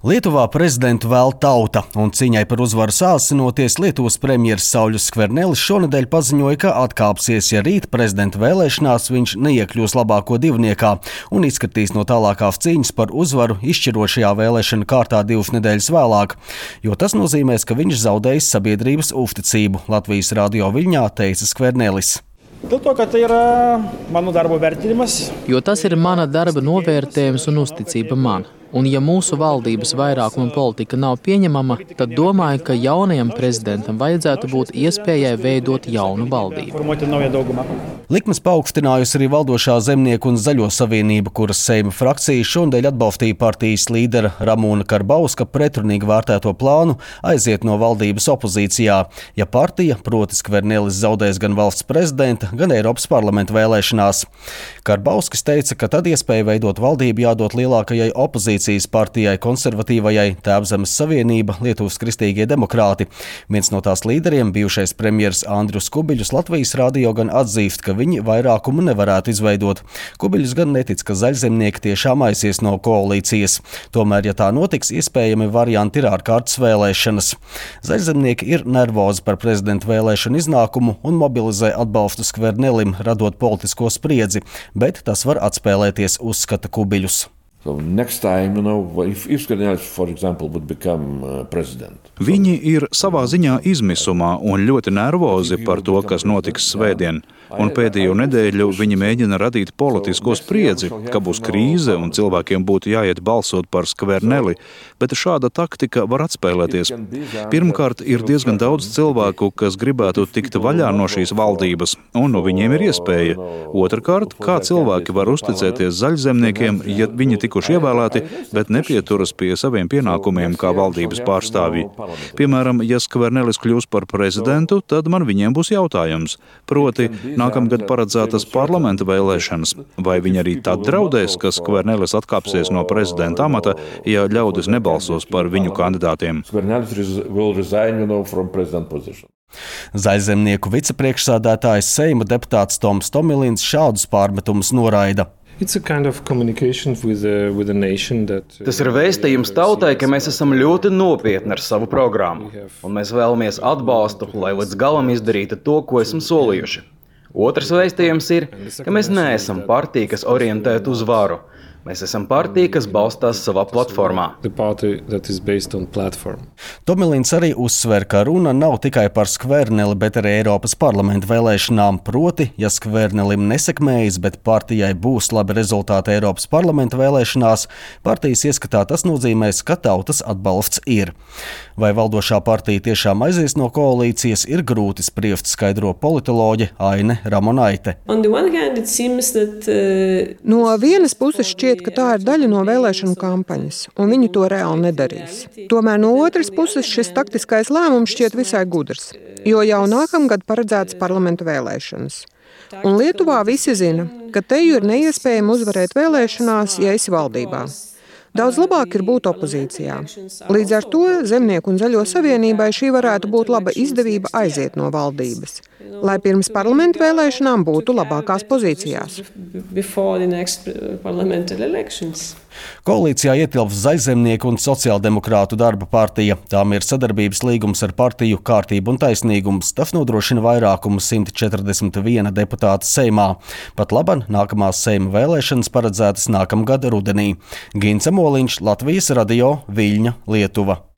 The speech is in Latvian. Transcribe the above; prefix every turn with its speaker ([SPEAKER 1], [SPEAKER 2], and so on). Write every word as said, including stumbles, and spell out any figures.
[SPEAKER 1] Lietuvā prezidentu vēl tauta, un cīņai par uzvaru sāsinoties Lietuvas premjers Sauļus Skvernelis šonedēļ paziņoja, ka atkāpsies, ja rīt prezidenta vēlēšanās viņš neiekļūs labāko divniekā un izskatīs no tālākās cīņas par uzvaru izšķirošajā vēlēšana kārtā divas nedēļas vēlāk, jo tas nozīmēs, ka viņš zaudējis sabiedrības uzticību, Latvijas radio Viļņā teica Skvernelis.
[SPEAKER 2] Dėl to, kad tai yra mano darbo vertinimas.
[SPEAKER 3] Jo tas ir mana darba novērtējums un uzticība man. Un ja mūsu valdības vairākuma politika nav pieņemama, tad domāju, ka jaunajam prezidentam vajadzētu būt iespējai veidot jaunu valdību.
[SPEAKER 1] Likmes paaugstinājusi arī valdošā Zemnieku un Zaļo savienība, kuras Seima frakcija šonedēļ atbalstīja partijas līdera Ramūna Karbauska pretrunīgi vērtēto plānu aiziet no valdības opozīcijā, ja partija, proti Skvernelis, zaudēs gan valsts prezidenta, gan Eiropas parlamenta vēlēšanās. Karbauskis teica, ka tad iespēja veidot valdību jādod lielākajai opozīcijai partijai konservatīvajai Tēvzemes savienība Lietuvas kristīgie demokrāti. Viens no tās līderiem, bijušais premjers Andrius Kubiļus, Latvijas radio gan atzīst, ka viņi vairākumu nevarētu izveidot. Kubiļus gan netic, ka zaļzemnieki tiešām aizies no koalīcijas. Tomēr, ja tā notiks, iespējami varianti ir ārkārtas vēlēšanas. Zaļzemnieki ir nervozi par prezidenta vēlēšanu iznākumu un mobilizē atbalstu Skvernelim, radot politisko spriedzi, bet tas var atspēlēties, uzskata Kubiļus.
[SPEAKER 4] So next time, you know, if, if Skvernelis, for example, would become uh, president.
[SPEAKER 5] Viņi ir savā ziņā izmisumā un ļoti nervozi par to, kas notiks svētdien. Un pēdējo nedēļu viņi mēģina radīt politisko spriedzi, ka būs krīze un cilvēkiem būtu jāiet balsot par Skverneli, bet šāda taktika var atspēlēties. Pirmkārt, ir diezgan daudz cilvēku, kas gribētu tikt vaļā no šīs valdības, un no viņiem ir iespēja. Otrakārt, kā cilvēki var uzticēties zaļzemniekiem, ja viņi tikuši ievēlēti, bet nepieturas pie saviem pienākumiem kā valdības pārstāvji. Piemēram, ja Skvernelis kļūs par prezidentu, tad man viņiem būs jautājums. Proti, nākamgad paredzētas parlamenta vēlēšanas. Vai viņi arī tad draudēs, ka Skvernelis atkāpsies no prezidenta amata, ja ļaudis nebalsos par viņu kandidātiem?
[SPEAKER 1] Zaļzemnieku vicepriekšsādātājs Seima deputāts Toms Tomilins šādus pārmetumus noraida.
[SPEAKER 6] Kind of with the, with that, uh,
[SPEAKER 7] Tas ir vēstījums tautai, ka mēs esam ļoti nopietni ar savu programmu, un mēs vēlamies atbalstu, lai līdz galam izdarītu to, ko esam solījuši. Otrs vēstījums ir, ka mēs neesam partija, kas orientēta uz varu. Mēs esam partija, kas balstās savā platformā.
[SPEAKER 1] Tomilins arī uzsver, ka runa nav tikai par Skverneli, bet arī Eiropas parlamenta vēlēšanām. Proti, ja Skvernelim nesekmējas, bet partijai būs labi rezultāti Eiropas parlamenta vēlēšanās, partijas ieskatā tas nozīmēs, ka tautas atbalsts ir. Vai valdošā partija tiešām aizies no koalīcijas, ir grūti spriest, skaidro politoloģe Aine Ramonaite.
[SPEAKER 8] That, uh... No vienas puses šķiet, ka tā ir daļa no vēlēšanu kampaņas, un viņi to reāli nedarīs. Tomēr no otras puses šis taktiskais lēmums šķiet visai gudrs, jo jau nākamgad paredzētas parlamenta vēlēšanas. Un Lietuvā visi zina, ka teju ir neiespējami uzvarēt vēlēšanās, ja esi valdībā. Daudz labāk ir būt opozīcijā. Līdz ar to Zemnieku un Zaļo savienībai šī varētu būt laba izdevība aiziet no valdības, lai pirms parlamenta vēlēšanām būtu labākās pozīcijās.
[SPEAKER 1] Koalīcijā ietilps Zaļzemnieku un Sociāldemokrātu darba partija. Tām ir sadarbības līgums ar partiju Kārtība un taisnīgums. Tas nodrošina vairākumu simt četrdesmit viena deputāta Seimā. Pat laban nākamās Seima vēlēšanas paredzētas nākamgad rudenī. Gints Moliņš, Latvijas radio, Viļņa, Lietuva.